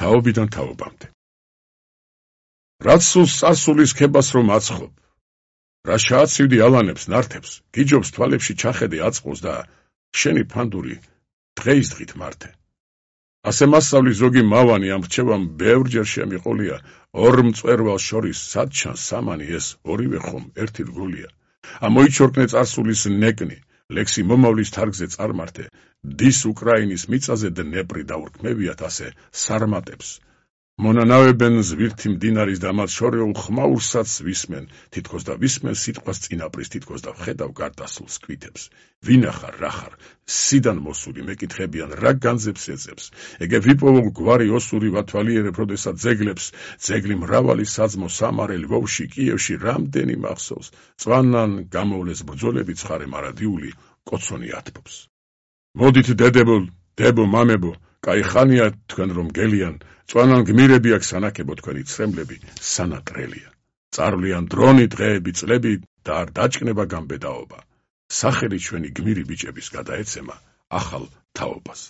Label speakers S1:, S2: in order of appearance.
S1: თაობიდან თაობამდე. რაც სულს წარსულის ქებას რომ აცხობ, რა შეაცივდი ალანებს ნართებს, გიჯობს თვალებში ჩახედე აწყოს და შენი ფანდური დღეის დღით მართე. ასე მასწავლის ზოგი მავანი ამ რჩევამ ბევრჯერ შემიყოლია, ორ მწვერვალ შორის სადჩანს სამანი ეს ორივე ხომ ერთი რგოლია. ამოიჩორკნე წარსულის ნეკნი, ლექსი მომავლის თარგზე წარმართე, დის უკრაინის მიწაზე დნეპრი დაურქმევიათ ასე სარმატებს. მონანავებენ ზვირთი მდინარის და მათ შორეულ ხმაურსაც ვისმენ, თითქოს და ვისმენ სიტყვას წინაპრის, თითქოს და ვხედავ გარდასულს კვითებს. ვინახარ, რა ხარ, სიდან მოსული მეკითხებიან, რა განძებს ეძებს. ეგე ვიპოვო გვარი ოსური ვათვალიერებ, როდესაც ძეგლებს, ძეგლი მრავალი საძმო სამარელი ვოვში, კიევში რამდენი მახსოვს. წვანან გამოვლეს ბრძოლები ცხარე მარადიული, კოცონი ათბობს. მოდით დედებო, დებო, მამებო, კაი ხანია თქვენ რომ გელიან, წვანან გმირები აქ სანაკებო თქვენი ცრემლები სანატრელია. წარვლიან დრონი დღეები წლები და არ დაჭკნება გამბედაობა. სახელი ჩვენი გმირი ბიჭების გადაეცემა ახალ თაობას.